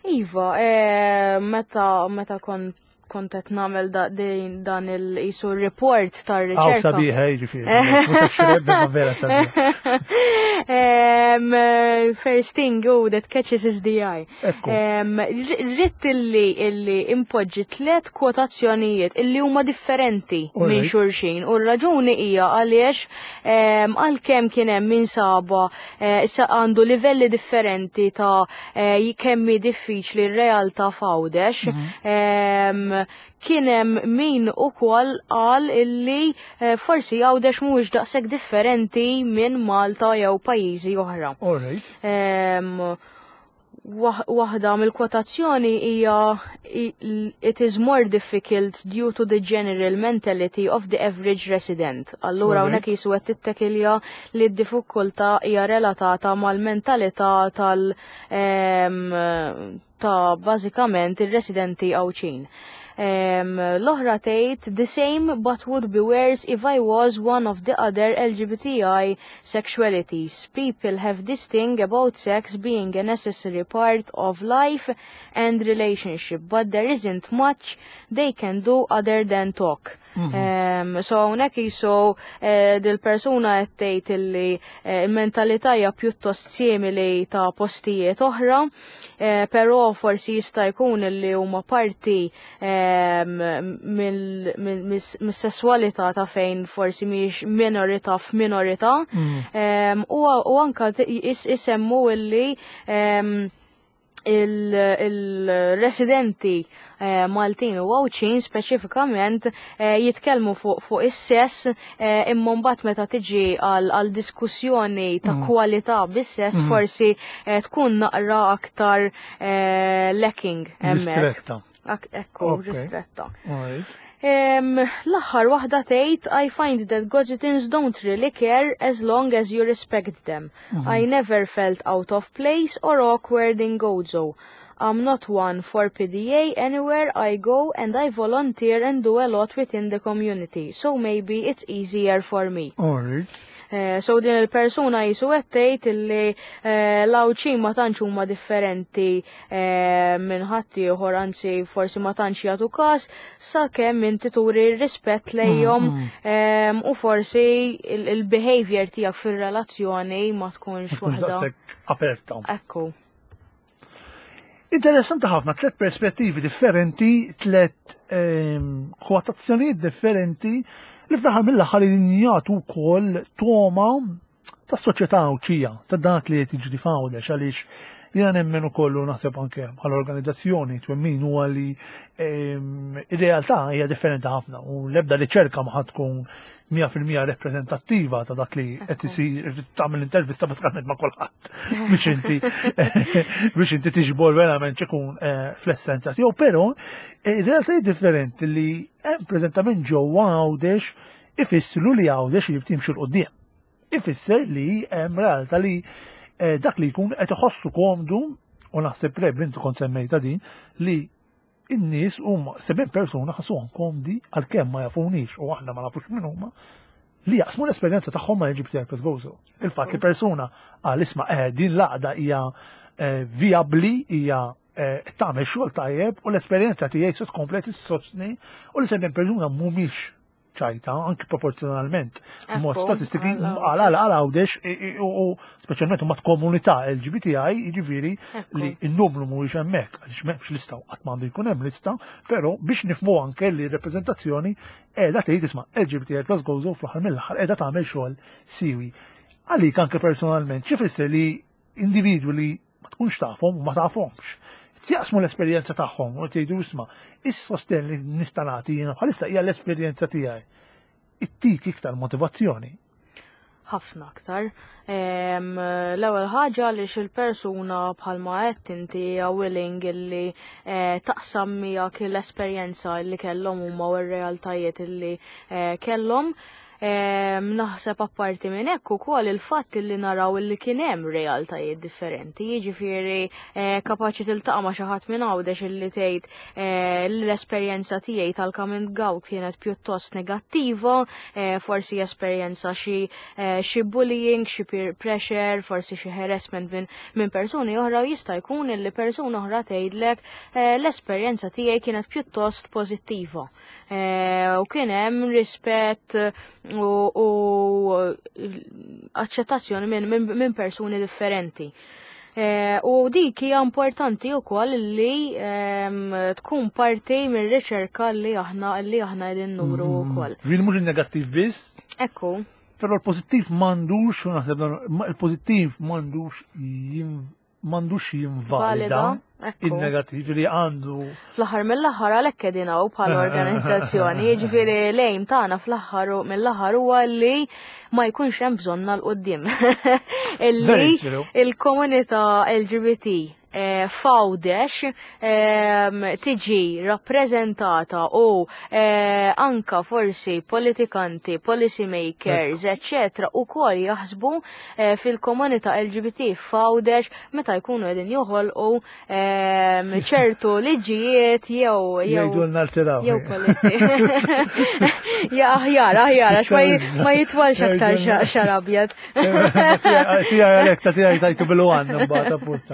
Iva, eh, meta meta kont kont qed nagħmel dan il-qisu report tar-riċerka. Aw sabiħa jiġifieri. Vera sabiħa. First thing oh, that catches is the eye. Ritt illi illi impoġġi tliet kwotazzjonijiet illi huma differenti minn xulxin u r-raġuni hija għaliex għalkemm kien hemm min saba eh, issa għandu livelli differenti ta' eh, kemm hi diffiċli r-realtà f'Għawdex. Mhm. Kien hemm min ukoll qal illi eh, forsi Għawdex mhuwiex daqshekk differenti minn Malta jew pajjiżi oħra. Waħda mill-kwotazzjoni hija it is more difficult due to the general mentality of the average resident. Allura hawnhekk jisu qed tittekilja li d-diffikultà hija relatata mal-mentalità tal ta' bażikament ir-residenti Għawdxin. L-oħra tgħid the same but would be worse if I was one of the other LGBTI sexualities. People have this thing about sex being a necessary part of life and relationship, but there isn't much they can do other than talk. Mm -hmm. So hawnhekk jisu eh, dil-persuna qed tgħid illi eh, il-mentalità hija pjuttost simili ta' postijiet oħra, eh, però forsi jista' jkun illi huma parti mis-sesswalità ta' fejn forsi mhijiex minorità f'minorità. Mm. U anka isemmu illi il-residenti eh, Maltin u Għawdxin speċifikament eh, jitkellmu fuq fu is-sess eh, imma mbagħad meta tiġi għal diskussjoni ta' mm. kwalità bis-sess mm. forsi tkun naqra aktar lacking hemmhekk. Ekku, ristretta. L-aħħar waħda tgħid I find that Gozitans don't really care as long as you respect them. Mm -hmm. I never felt out of place or awkward in Gozo. I'm not one for PDA anywhere I go and I volunteer and do a lot within the community, so maybe it's easier for me. Alright. Eh, so din il-persuna jisu qed tgħid illi eh, l-Għawdxin ma tantx huma differenti eh, minn ħaddieħor anzi forsi ma tantx jagħtu każ sakemm inti turi rispett lejhom mm, mm. u forsi il-behavior tiegħek fir-relazzjoni ma tkunx waħda aperta. Ekku. Interessanti ħafna, tlet perspettivi differenti, tlet ehm, kwotazzjonijiet differenti li fl-aħħar mill-aħħar jagħtu wkoll toma tas-soċjetà Għawdxija, ta' dak li qed jiġri f'Għawdex għaliex jiena nemmen ukoll u naħseb anke bħala organizzazzjoni twemmin huwa li ehm, ir-realtà hija differenti ħafna u l-ebda riċerka ma ħadd tkun 100% rappreżentattiva ta' dak li qed isir tagħmel intervista bażikament ma' kulħadd biex inti biex inti tiġbor verament x'ikun eh, fl-essenza tiegħu, però eh, realtajiet differenti li hemm preżentament ġewwa Għawdex ifissru li Għawdex jrid jimxi l qudiem. Ifisser li hemm realtà li eh, dak li jkun qed iħossu komdu u naħseb Reb inti kont semmejta din li in-nies huma 70 persuna ħassuhom komdi għalkemm ma jafunix u aħna ma nafux min huma li jaqsmu l-esperjenza tagħhom ma' LGBTI plus Gozo. Il-fatt li persuna għal isma' eh, din l-għaqda hija eh, vijabbli, hija eh, tagħmel xogħol tajjeb u l-esperjenza tiegħi se tkompli tissostni u li 70 persuna mhumiex ċajta, anki proporzjonalment, mod statistiki, għal għal għal għawdex, u speċjalment mat komunità LGBTI, jiġifieri li n-numru mhuwiex hemmhekk, għaliex m'hemmx lista u qatt m'għandu jkun hemm lista, però biex nifhmu anke li r-reprezentazzjoni qiegħda tgħid isma' LGBTI plus Gozo fl-aħħar mill-aħħar qiegħda tagħmel xogħol siwi. Għalik anke personalment, x'ifisser li individwi li ma tkunx tafhom u ma tafhomx. Jaqsmu l-esperjenza tagħhom u tgħidu isma' is-sostenn li nista' nagħti jiena bħalissa hija l-esperjenza tiegħi. Ittik iktar motivazzjoni. Ħafna aktar. L-ewwel ħaġa għaliex il-persuna bħalma qed inti hija willing illi eh, taqsam miegħek l-esperjenza li kellhom huma u r-realtajiet illi eh, kellhom. Naħseb apparti minn hekk ukoll il-fatt li naraw li kien hemm realtajiet differenti, jiġifieri eh, kapaċi tiltaqa' ma' xi ħadd minn Għawdex illi tgħid eh, li l-esperjenza tiegħi tal-coming out kienet pjuttost negattiva, eh, forsi esperjenza xi xi bullying, xi peer pressure, forsi xi harassment minn min persuni oħra u jista' jkun illi persuna oħra tgħidlek l-esperjenza tiegħi kienet pjuttost pożittiva. Eh, u kien hemm rispett u aċċettazzjoni minn persuni differenti. Eh, u dik hija importanti wkoll li ehm, tkun parti mir-riċerka li aħna li aħna qegħdin nuru mm. wkoll. Vin mhux in-negattiv biss. Ekku. Però l-pożittiv m'għandux, naħseb il-pożittiv m'għandux m'għandux jinvalida il-negattiv li għandu. Fl-aħħar mill-aħħar għalhekk qegħdin hawn bħala organizzazzjoni, jiġifieri lejn tagħna fl-aħħar mill-aħħar huwa li ma jkunx hemm bżonna l qudiem Illi il-komunità LGBT eh, f'Għawdex ehm, tiġi rappreżentata u eh, anka forsi politikanti, policy makers, eccetera, u kol jaħsbu eh, fil-komunità LGBT f'Għawdex meta jkunu qegħdin joħolqu ehm, ċertu liġijiet jew jew jew policy. Ja aħjar, aħjar, għax ma jitwalx aktar xar abjad. Tiegħi għalhekk ta' tiegħi tajtu bil-għan mbagħad apposta.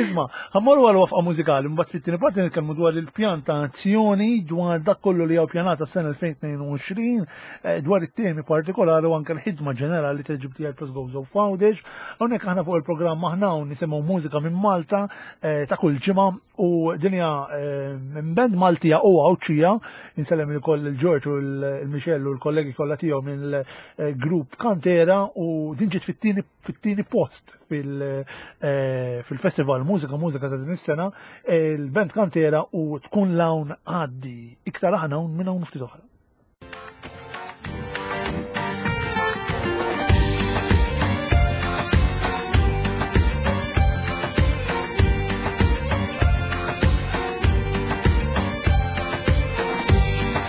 Isma' ħammorru għal wafqa mużikali mbagħad fit-tieni parti nitkellmu dwar il-pjan ta' azzjoni dwar dak kollu li hawn pjanata s-sena 2022 Eh, dwar it-temi partikolari u anke l-ħidma ġenerali ta' GBTI Plus Gozo Fawdex. Hawnhekk aħna fuq il-programm aħna hawn nisimgħu mużika minn Malta eh, ta' kull ġimgħa u dinja eh, minn band Maltija u Għawdxija, insellem ukoll il-Ġorġ u l-Michel u l-kollegi kollha tiegħu mill-grupp Kantera u din ġiet fit-tieni post fil-festival Mużika Mużika ta' din is-sena, il-band Kantera u tkun lawn għaddi. Iktar aħna hawn minn hawn ftit oħra.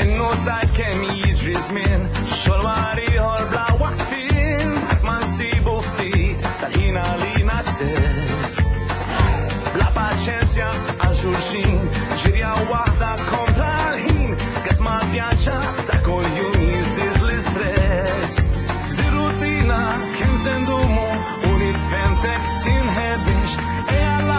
Innotajt kemm jiġri żmien, xogħol wara ieħor bla waqfien, ma nsibu ftit tal-ħin għalina stess. Bla paċenzja għal xulxin, ġirja waħda kontra l-ħin, gas ma pjaċa ta' kuljum jiżdied l-istress. F'di rutina kemm se ndumu u nifhemtek tinħeddix. Ejja 'l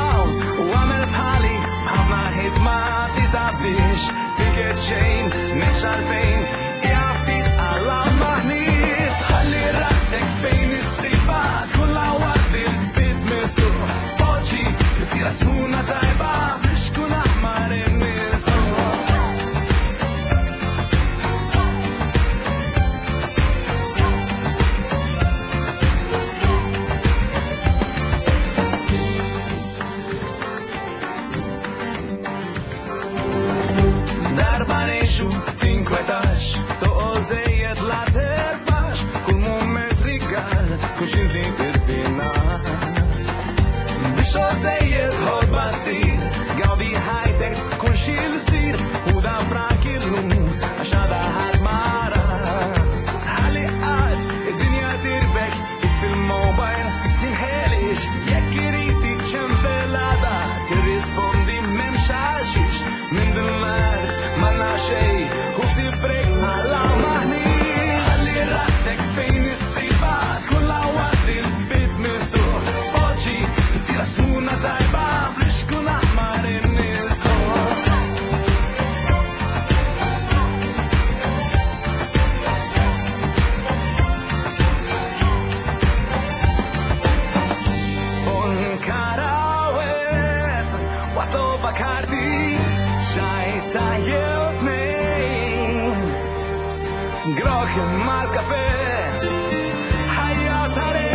u għamel bħali, b'ħafna ħidma titgħabbix. Tiket xejn, m'hemmx għalfejn, ejja ftit għal maħniex. Ħalli rasek fejn issibha, tkun la waqt il-bib miftuħ. Poġġi tifsira sħuna tajba biex tkun aħmar in-nies. Darba ngħixu tinkwetax, toqgħod żejjed la terfax, kull mument rigal, kull xi li tirfina. Biex żejjed ħodba ssir, gawdi ħajtek kull xi jsir, u dan frak illum għax għada ħadd ma ra. Tħalli qatt id-dinja tirbek. Grok mal-kafe. Ħajja tare.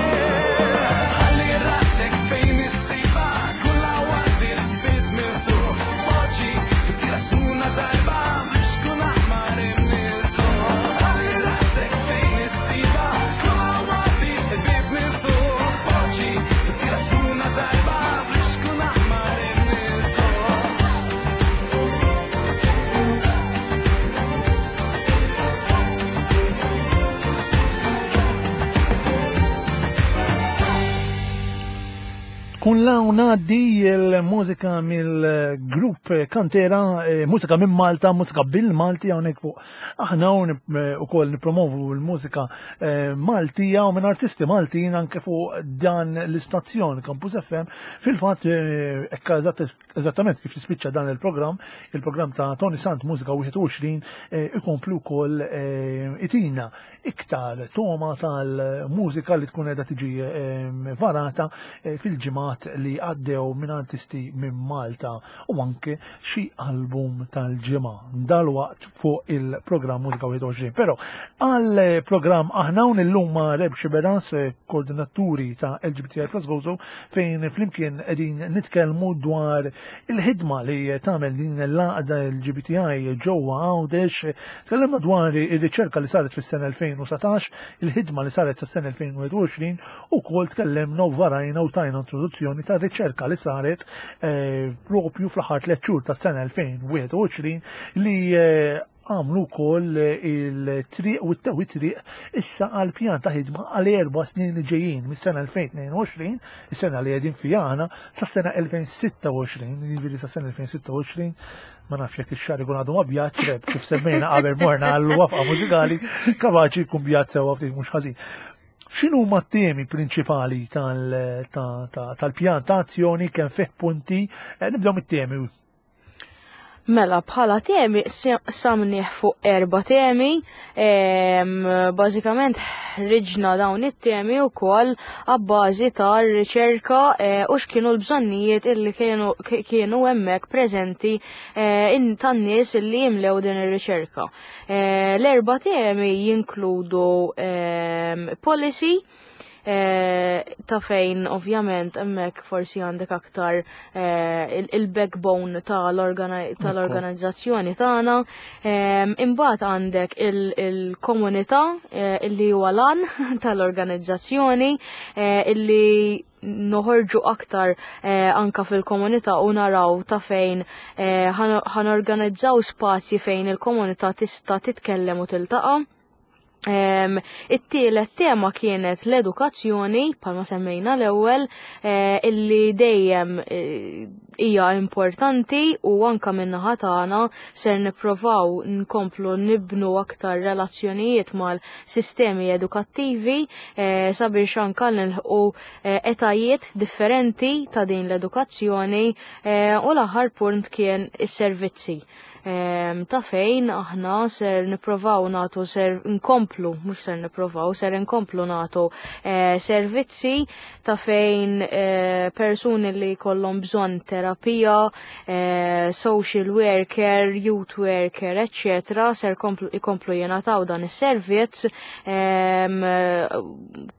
Ħalli rasek fejn issiba, kulla waqt il-bib miftuħ. Poġġi, tira suna tajba, biex kun aħmar imniżlu. Ħalli rasek fejn issiba, kulla waqt il-bib miftuħ. Poġġi, tira suna tajba, biex kun aħmar imniżlu. Kun law ngħaddi l-mużika mill-grupp Kantera, mużika minn Malta, mużika bil-Malti hawnhekk fuq aħna hawn ukoll nippromovu l-mużika Maltija u minn artisti Maltin anke fuq dan l-istazzjon Campus FM. Fil-fatt hekk eżattament kif tispiċċa dan il-programm, il-programm ta' Tony Sant Mużika 21 ikomplu wkoll itina iktar toma tal-mużika li tkun qiegħda tiġi varata fil-ġimgħat li għaddew minn artisti minn Malta u anke xi album tal-ġimgħa dalwaqt fuq il-programm Mużika 21. Però għal programm aħna hawn illum ma' Reb Xiberras, koordinaturi ta' LGBTI Plus Gozo, fejn flimkien qegħdin nitkellmu dwar il-ħidma li tagħmel din l-għaqda LGBTI ġewwa Għawdex. Tkellimna dwar ir-riċerka li saret fis-sena 2019, il-ħidma li saret sas-sena 2021, u wkoll tkellimna u varajna u tajna introduzzjoni ta' riċerka li saret propju fl-aħħar 3 xhur tas-sena 2021 li għamlu wkoll il-triq u t-tewi triq issa għal pjan ta' ħidma għal 4 snin li ġejjin mis-sena 2022, is-sena li qegħdin fiha aħna, sas-sena 2026, jiġifieri sas-sena 2026, ma nafx jekk ix-xahar ikun għadu ma bjadx, Reb, kif semmejna qabel morna għal wafqa mużikali, kapaċi jkun bjad sewwa ftit mhux ħażin. X'inhu huma t-temi prinċipali tal-pjan ta' azzjoni, kemm fih punti? Nibdew mit-temi. Mela, bħala temi samniħ fuq 4 temi, bażikament ħriġna dawn it-temi wkoll għabbażi ta' riċerka u x'kienu l-bżonnijiet illi kienu hemmhekk preżenti tan-nies illi jimlew din ir-riċerka. L-4 temi jinkludu policy, ta' fejn ovvjament hemmhekk forsi għandek aktar il-backbone tal-organizzazzjoni tagħna. Imbagħad għandek il-komunità illi huwa lan tal-organizzazzjoni illi noħorġu aktar anka fil-komunità u naraw ta' fejn ħanorganizzaw spazji fejn il-komunità tista' titkellem u tiltaqa'. It-tielet tema kienet l-edukazzjoni, bħalma semmejna l-ewwel, illi dejjem hija importanti u anka min-naħa tagħna ser nipprovaw nkomplu nibnu aktar relazzjonijiet mal-sistemi edukattivi sabiex anka nilħqu etajiet differenti ta' din l-edukazzjoni u l-aħħar punt kien is-servizzi. Ta' fejn aħna ser nipprovaw nagħtu, ser nkomplu, mhux ser nipprovaw, ser nkomplu nagħtu servizzi ta' fejn persuni li jkollhom bżonn terapija, social worker, youth worker, eccetera, ser ikomplu jingħataw dan is-servizz,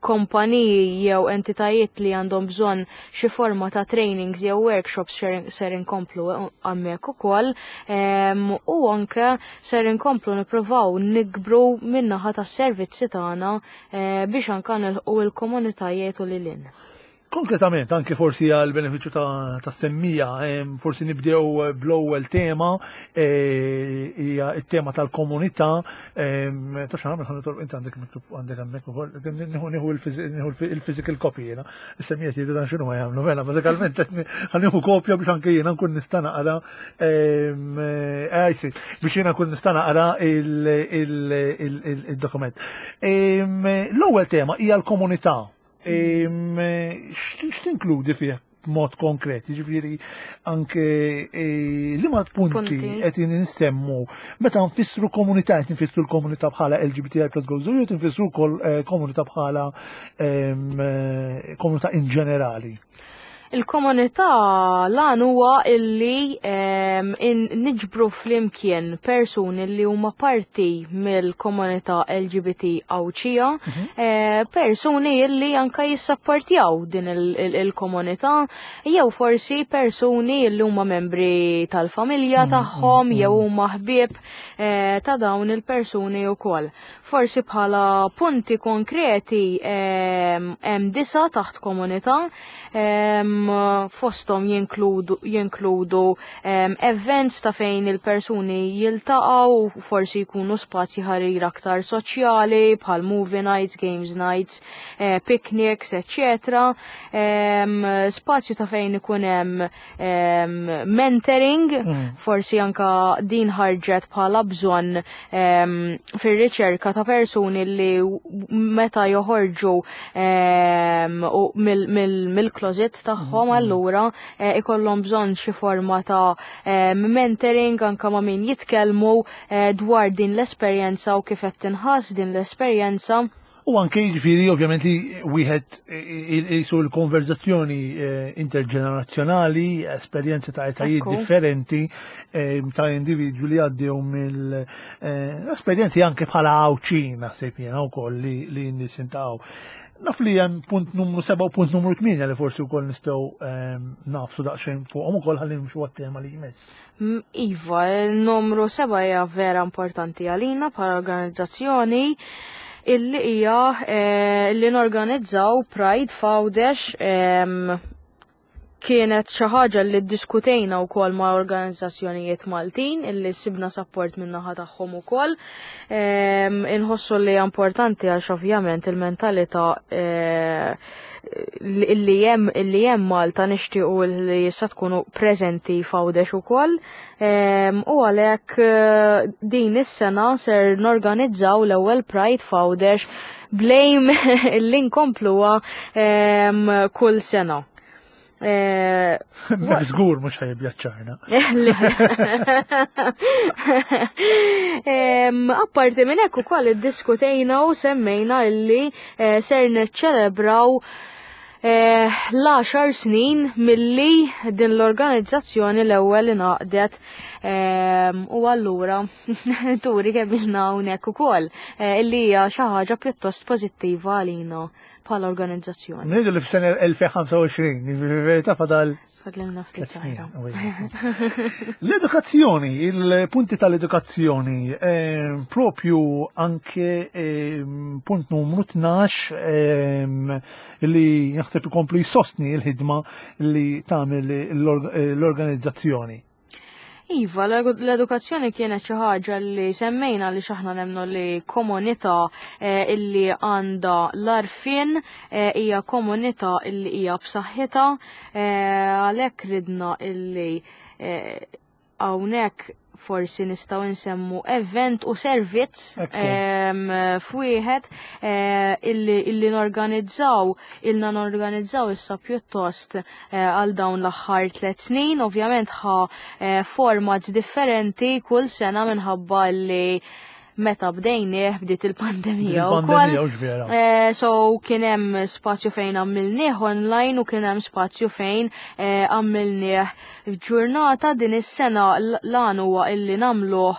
kompaniji jew entitajiet li għandhom bżonn xi forma ta' trainings jew workshops ser inkomplu hemmhekk ukoll, u anke ser inkomplu nippruvaw nikbru min-naħa tas-servizzi tagħna biex anke nilħqu l-komunitajiet u lil hinn. Konkretament, anke forsi għal benefiċċju ta' semmija, forsi nibdew bl-ewwel tema, hija t-tema tal-komunità, taf x'għamel, ħa nitolb, inti għandek miktub għandek hemmhekk ukoll, nieħu il-physical copy jiena. Is-semmija jgħidu dan x'inhu ma jagħmlu, mela bażikament ħa nieħu kopja biex anke jiena nkun nista' naqra, biex jiena nkun nista' naqra il-dokument. L-ewwel tema hija l-komunità. X'tinkludi fih b'mod konkret? Jiġifieri anke liema punti qed insemmu meta nfissru komunità, qed nfissru l-komunità bħala LGBTI plus Gozo, jew tinfissru wkoll komunità bħala komunità in ġenerali? Il-komunità lan huwa illi niġbru flimkien persuni li huma parti mill-komunità LGBT Għawdxija, persuni illi anka jissapportjaw din il-komunità, jew forsi persuni illi huma membri tal-familja tagħhom jew huma ħbieb ta' dawn il-persuni wkoll. Forsi bħala punti konkreti hemm disa taħt komunità, fosthom jinkludu events ta' fejn il-persuni jiltaqgħu, forsi jkunu spazji ħarir aktar soċjali bħal movie nights, games nights, picnics, eccetera. Spazju ta' fejn ikun hemm mentoring, forsi anka din ħarġet bħala bżonn fir-riċerka ta' persuni li meta joħorġu mill-closet tagħhom allura ikollhom bżonn xi forma ta' mentoring anka ma' min jitkellmu dwar din l-esperjenza u kif qed tinħass din l-esperjenza. U anke jiġifieri ovvjament li wieħed jisu l-konverzazzjoni interġenerazzjonali, esperjenzi ta' etajiet differenti ta' individwi li għaddew mill-esperjenzi anke bħala Għawdxin naħseb jiena wkoll li n-nies jintaqgħu. Naf li hemm punt numru 7 u punt numru 8 li forsi wkoll nistgħu nafsu daqsxejn fuqhom ukoll ħalli nimxu għat-tema li jmiss. Iva, il-numru 7 hija vera importanti għalina bħala organizzazzjoni illi hija li norganizzaw Pride f'Għawdex. Kienet xi ħaġa li ddiskutejna wkoll ma' organizzazzjonijiet Maltin illi sibna support min-naħa tagħhom ukoll. Inħossu li hija importanti għax ovvjament il-mentalità illi hemm Malta nixtiequ li issa tkunu preżenti f'Għawdex ukoll. U għalhekk din is-sena ser norganizzaw l-ewwel Pride f'Għawdex blejm illi nkompluha kull sena. Mek żgur mhux ħajbjaċċarna. Apparti minn hekk ukoll iddiskutejna u semmejna illi ser niċċelebraw l-10 snin milli din l-organizzazzjoni l-ewwel ingħaqdet, u allura turi kemm ilna hawnhekk ukoll illi hija xi ħaġa pjuttost pożittiva għalina bħala organizzazzjoni. Ngħidu li f'sena 2025, jiġifieri verità fadal Fadlilna ftit tliet snin, żgħira. u hija. L-edukazzjoni, il-punti tal-edukazzjoni, propju anke punt numru 12, li jaħseb ikomplu jsostni l-ħidma li tagħmel l-organizzazzjoni. Iva, l-edukazzjoni kienet xi ħaġa li semmejna li x'aħna nemmnu li komunità illi għandha l-għarfien hija komunità illi hija b'saħħitha, għalhekk ridna illi hawnhekk forsi nistgħu nsemmu event u servizz, f'wieħed illi norganizzaw, ilna norganizzaw issa pjuttost għal dawn l-aħħar 3 snin, ovvjament ħa formats differenti kull sena minħabba li meta bdejnieh bdiet il-pandemija Bdiet wkoll. il-pandemija, hux vera. So kien hemm spazju fejn għamilnieh online u kien hemm spazju fejn għamilnieh f'ġurnata. Din is-sena l-għan huwa illi nagħmluh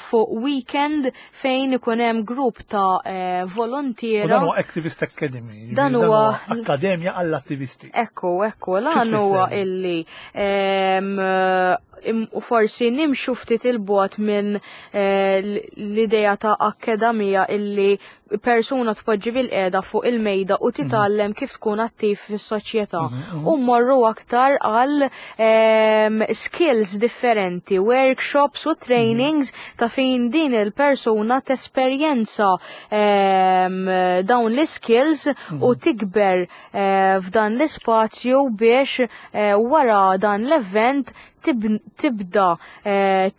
fuq weekend fejn ikun hemm grupp ta' volontiera. U dan huwa Activist Academy, jiġifieri Dan dan huwa huwa akkademja għall-attivisti. Ekku, ekku, l-għan huwa Xi tfisser? illi u forsi nimxu ftit il-bogħod minn l-idea ta' akkademija illi persuna tpoġġi bil-qiegħda fuq il-mejda u titgħallem kif tkun attiv fis-soċjetà. U mmorru aktar għal skills differenti, workshops u trainings ta' fejn din il-persuna tesperjenza dawn l-skills u tikber f'dan l-ispazju biex wara dan l-event tibda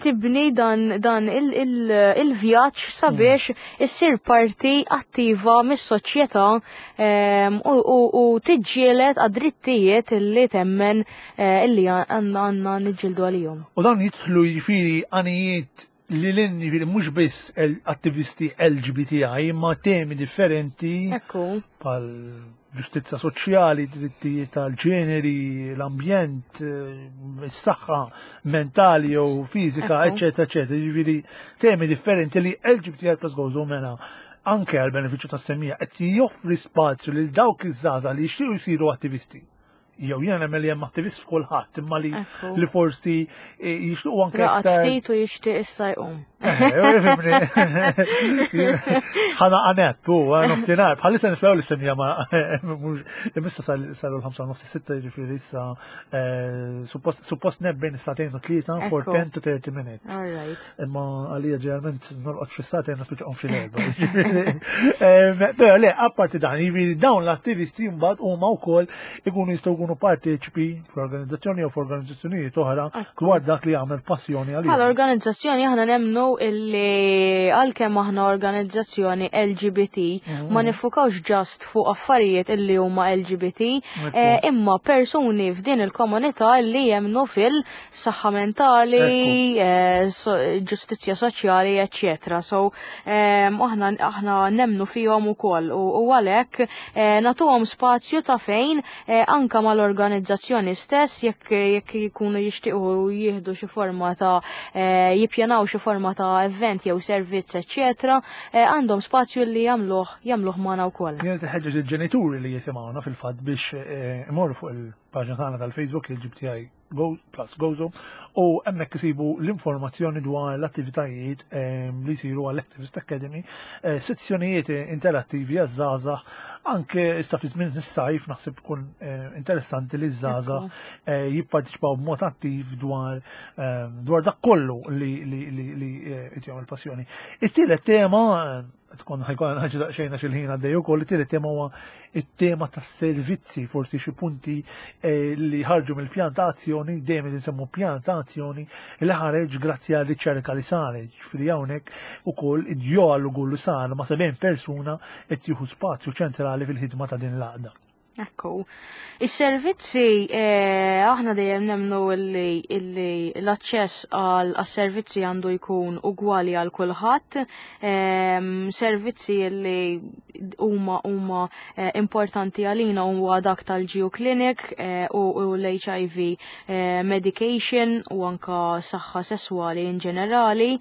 tibni dan il-vjaġġ sabiex issir parti attiva mis-soċjetà u tiġġieled għad-drittijiet illi temmen illi għandna niġġieldu għalihom. U dawn jidħlu jiġifieri għanijiet li l-inni mhux biss attivisti LGBTI imma temi differenti bħal ġustizza soċjali, drittijiet tal-ġeneri, l-ambjent, eh, is-saħħa mentali jew fiżika, eċetera, eċetera. Jiġifieri temi differenti li LGBTI plus Gozo mela anke għal benefiċċju tas-semmija qed joffri spazju lil dawk iż-żgħażagħ li jixtiequ jsiru attivisti. Jew jiena nemmen li hemm attivist f'kulħadd imma li li forsi eh, jixtiequ anke aktar. ftit u jixtieq issa jqum. Eh, Ħana għanet, u nofsinhar, bħalissa nisperaw li semija ma imissa saru l-5 nofsi sitta jiġifieri issa eh, suppost nebbejn is-sagħtejn u tlieta for 10 to 30 minutes. Imma għalija ġeneralment norqod xi sagħtejn nispiċċa qom fil-erba. Però le, apparti dan, jiġifieri dawn l-attivisti mbagħad huma wkoll ikunu jistgħu jkunu parteċipi fl-organizzazzjoni jew f'organizzazzjonijiet oħra dwar dak li jagħmel passjoni għalihom. Bħala organizzazzjoni aħna nemmnu illi għalkemm aħna organizzazzjoni LGBT mhm. ma nifukawx ġast fuq affarijiet illi huma LGBT eh, imma persuni f'din il-komunità li jemmnu fil saħħa mentali, eh, ġustizzja soċjali, eċċetera. So ehm, aħna aħna nemnu fihom ukoll u għalhekk eh, nagħtuhom spazju ta' fejn eh, anka mal-organizzazzjoni stess jekk jekk jkunu jixtiequ jieħdu xi forma ta' jippjanaw xi forma ta' event jew servizz, eċċetera, għandhom spazju li jagħmluh jagħmluh magħna wkoll. Jien tħeġġeġ il-ġenituri li jisimgħuna fil-fatt biex imorru fuq il-paġna tagħna tal-Facebook il-GBTI Go plus Gozo u hemmhekk isibu l-informazzjoni dwar l-attivitajiet ehm, li jsiru għall-Activist Academy, eh, sezzjonijiet interattivi għaż-żgħażagħ anke issa fi żmien is-sajf naħseb tkun eh, interessanti li ż-żgħażagħ eh, jipparteċipaw b'mod attiv dwar ehm, dwar dak kollu li li li jtihom il-passjoni. It-tielet tema tkun ħajkun ħaġa daqsxejn għax il-ħin għaddej ukoll, it-tielet tema huwa it-tema tas-servizzi, forsi xi punti eh, li ħarġu mill-pjan ta' azzjoni, dejjem qed insemmu pjan ta' azzjoni li ħareġ grazzi għal riċerka li saret, ġifieri hawnhekk ukoll id-dialogu li sar ma' 70 persuna qed jieħu spazju ċentrali fil-ħidma ta' din l-għaqda. Ekku. Is-servizzi, eh, aħna dejjem nemnu illi, illi l-aċċess għal servizzi għandu jkun ugwali għal kulħadd, ehm, servizzi li huma huma eh, importanti għalina huwa dak tal-Geo Clinic eh, u, u l-HIV medication u anka saħħa sesswali in ġenerali.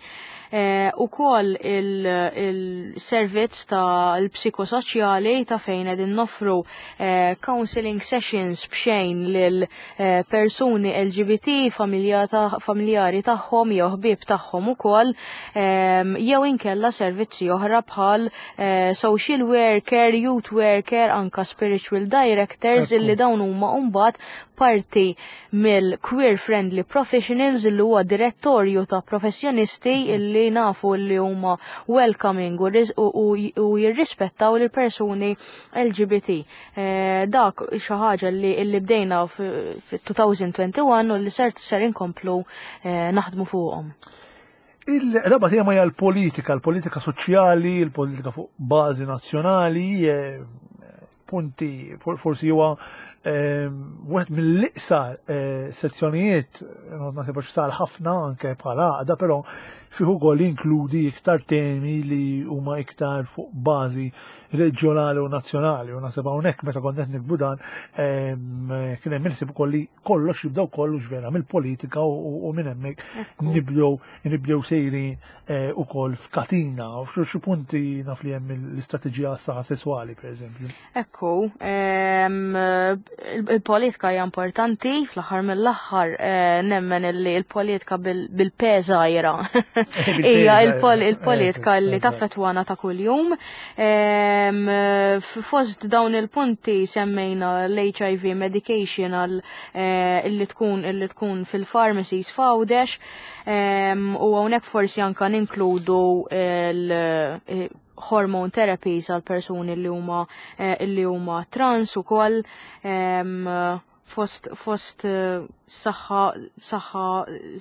Eh, ukoll il-servizz ta' l-psikosoċjali ta' fejn qegħdin noffru eh, counseling sessions b'xejn lil eh, persuni LGBT, familjari tagħhom jew ħbieb tagħhom ukoll, ehm, jew inkella servizzi oħra bħal social worker, youth worker, anka spiritual directors illi dawn huma mbagħad parti mill-Queer Friendly Professionals illi huwa direttorju ta' professjonisti illi nafu li huma welcoming u jirrispettaw lil persuni LGBT. Eh, dak xi ħaġa li li bdejna fit-2021 u li ser ser inkomplu eh, naħdmu fuqhom. Il-raba tema hija l-politika, l-politika soċjali, l-politika fuq bażi nazzjonali, eh, punti forsi huwa ehm, wieħed mill-iqsar eh, sezzjonijiet naħseb għax sar ħafna anke bħala għaqda, però fih ukoll inkludi iktar temi li huma iktar fuq bażi reġjonali u nazzjonali u naħseb hawnhekk meta kont qed nikbu dan ehm, kien hemm inħsib ukoll li kollox jibda wkoll vera mill-politika u minn hemmhekk nibdew nibdew sejrin eh, ukoll f'katina, u xi punti naf li hemm l-istrateġija għas-saħħa sesswali pereżempju. Ekku, ehm, il-politika hija importanti, fl-aħħar mill-aħħar eh, nemmen li l-politika bil-P żgħira hija il-politika li taffettwana ta' kuljum. Ehm, fost dawn il-punti semmejna l-HIV medication għal eh, illi tkun illi tkun fil-pharmacies f'Għawdex. U hawnhekk forsi anka ninkludu l-hormone eh, therapies għal persuni li huma eh, li huma trans ukoll fost fost eh, saħħa saħħa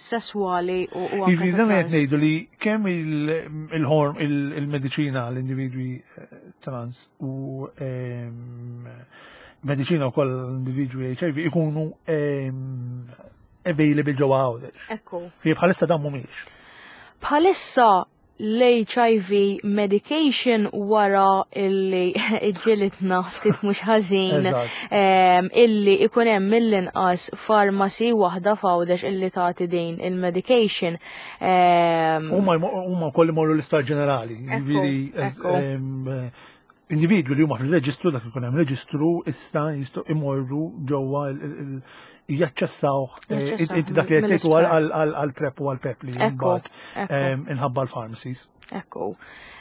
sesswali u u anke Jiġifieri dan qed ngħidu li kemm il-horm il-mediċina l-individwi trans u mediċina wkoll l-individwi HIV ikunu available ġewwa Għawdex. Ekku. Fi bħalissa dan mhumiex. Bħalissa l-HIV medication wara illi ġilitna ftit mhux ħażin illi ikun hemm mill-inqas farmasi waħda f'Għawdex illi tagħti din il-medication. Huma wkoll imorru l-isptar ġenerali, jiġifieri individwi li huma fil-reġistru dak ikun hemm reġistru issa jistgħu imorru ġewwa jaċċessawh eh, inti dak li qed tgħid għal prep u għal pep li mbagħad inħabba l-pharmacies. Ekku.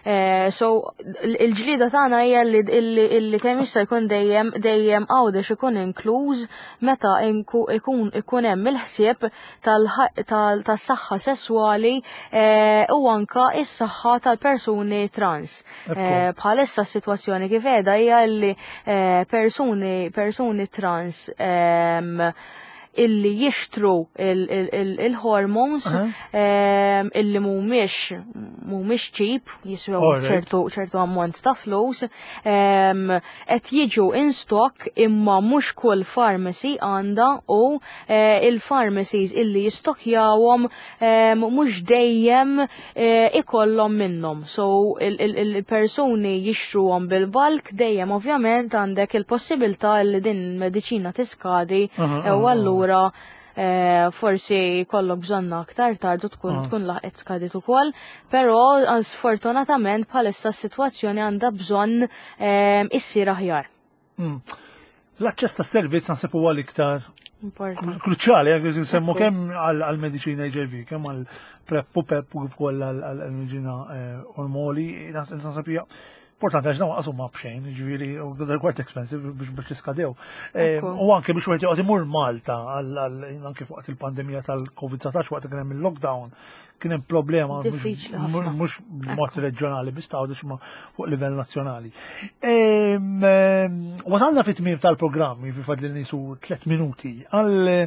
Eh, so, il-ġlida tagħna hija li kemm jista' jkun dejjem dejjem għawdex ikun inkluż meta ikun ikun hemm il-ħsieb tas-saħħa sesswali eh, u anka is-saħħa tal-persuni trans. Eh, bħalissa s-sitwazzjoni kif qiegħda hija li eh, persuni persuni trans ehm, illi jixtru il-hormones ehm, illi mhumiex mhumiex cheap jiswew ċertu ċertu ammont ta' flus ehm, qed jiġu in stock imma mhux kull pharmacy għandha u eh, il-pharmacies illi jistokjawhom mhux dejjem eh, ikollhom minnhom. So il-persuni jixtruhom bil-bulk dejjem ovvjament għandek il-possibilità li din il-mediċina tiskadi eh, u allura eh, forsi kollok bżonna aktar tard u tkun tkun laħqet skadit ukoll, però sfortunatament bħalissa s-sitwazzjoni għandha bżonn issir aħjar. Hmm. L-aċċess tas-servizz naħseb huwa l-iktar kruċjali jekk nsemmu kemm għall-mediċina HIV, kemm għall prep u pep u kif ukoll għall-mediċina eh, ormoli, naħseb hija importanti għax dawn qasum ma bxejn, ġifieri u they're quite expensive biex biex tiskadew. Eh, u anke biex wieħed joqgħod imur Malta anke fuq il-pandemija tal-COVID-19 waqt kien hemm il-lockdown, kien hemm problema mhux b'mod reġjonali biss ta' ma fuq livell nazzjonali. Wasalna fit-tmiem tal-programm, jifi fadli nisu 3 minuti, għal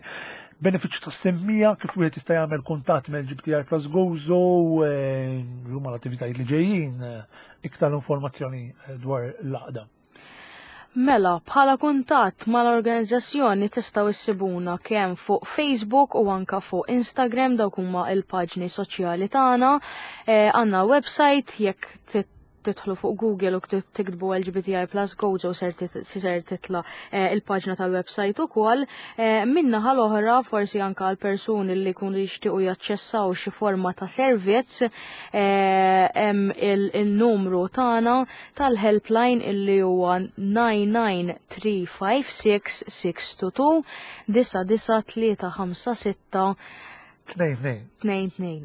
benefiċċju tas semmija kif wieħed jista' jagħmel kuntatt mal-GPTR Plus Gozo, huma l-attivitajiet li ġejjin, iktar informazzjoni dwar l-għaqda. Mela, bħala kuntatt mal-organizzazzjoni tistgħu issibuna kemm fuq Facebook u anka fuq Instagram dawk huma il-paġni soċjali tagħna. Eh, għandna website jekk tidħlu fuq Google u tiktbu LGBTI plus Gozo ser titla eh, il-paġna tal-website ukoll. Eh, minna l-oħra forsi anka għal persuni li jkunu jixtiequ jaċċessaw xi forma ta' servizz hemm il-numru tagħna tal-helpline illi huwa 99356 99356 2 2 2.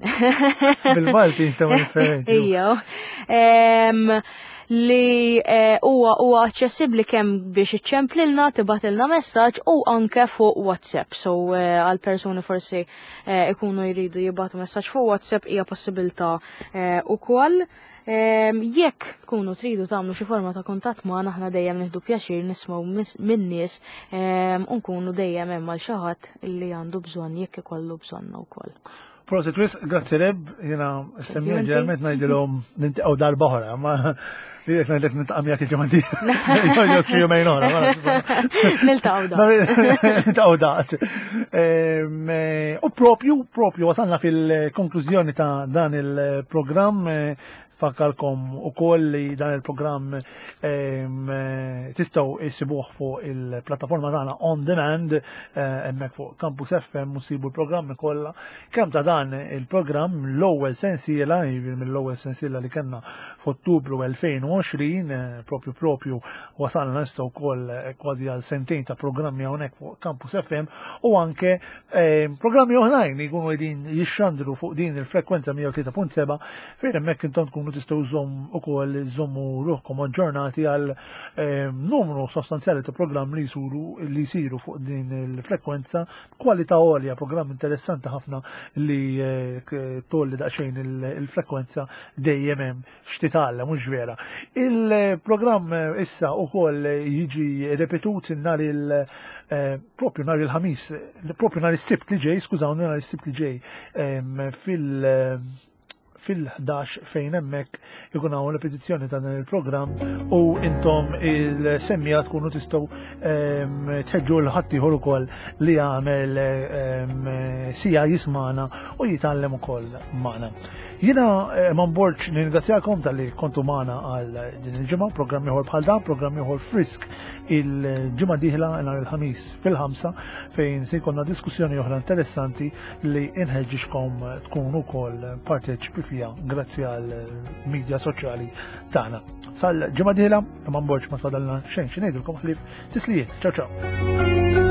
Bil-Malti jinstema differenti. Ejja. Li eh, huwa huwa aċċessibbli kemm biex iċċemplilna, tibatilna messaġġ u anke fuq WhatsApp. So eh, għal persuni forsi eh, ikunu jridu jibatu messaġġ fuq WhatsApp hija possibilità ukoll. Jekk tkunu tridu tagħmlu xi forma ta' kuntatt magħna aħna dejjem nieħdu pjaċir nismgħu min-nies u nkunu dejjem hemm għal xi ħadd li għandu bżonn jekk ikollu bżonna wkoll. Prosit wis, grazzi Reb, jiena semmija ġeneralment ngħidilhom nintaqgħu darba oħra, ma jekk ngħidlek niltaqa' miegħek il-ġimgħa dieħla. Jew xi jumejn oħra. Niltaqgħu daqt. Niltaqgħu daqt. Eh, u propju, propju wasalna fil-konklużjoni ta' dan il-programm eh, Fakkarkom ukoll li dan il-programm eh, tistgħu issibuh fuq il-plattaforma tagħna on demand eh, hemmhekk fuq Campus FM u ssibu l-programmi kollha. Kemm ta' dan il-programm l-ewwel sensiela, jiġifieri mill-ewwel sensiela li kellna f'Ottubru 2020, eh, propju propju wasalna issa wkoll kważi għal sentejn ta' programmi hawnhekk fuq Campus FM u anke programmi oħrajn li jkunu qegħdin jixxandru fuq din il-frekwenza 103.7 fejn hemmhekk intom tkunu tistgħu żomm ukoll żommu ruħkom aġġornati għal numru sostanzjali ta' programm li jsuru li jsiru fuq din il-frekwenza kwalità għolja, programm interessanti ħafna li eh, tolli daqsxejn il-frekwenza dejjem hemm x'titgħallem mhux vera. Il-programm eh, issa ukoll jiġi repetut nhar il eh, propju nhar il-ħamis, propju nhar is-sibt li ġej, skużawni nhar is-sibt li ġej fil fil-11 fejn hemmhekk ikun hawn repetizzjoni ta' dan il-programm u intom il-semmija tkunu tistgħu ehm, tħeġġu l ħaddieħor ukoll li jagħmel ehm, sija jismana u jitgħallem ukoll magħna. Jiena eh, ma nborġ nirringrazzjakom tal-li kontu magħna għal din il-ġimgħa, programm ieħor bħal dan, programm ieħor frisk il-ġimgħa dieħla nhar il-ħamis fil-ħamsa fejn se jkollna diskussjoni oħra interessanti li inħeġġixkom tkunu wkoll parteċipi fiha grazzi għal media soċjali tagħna. Sal-ġimgħa dieħla, ma nborġ ma tfadalna xejn xi ngħidilkom ħlief tislijiet. Ciao ciao.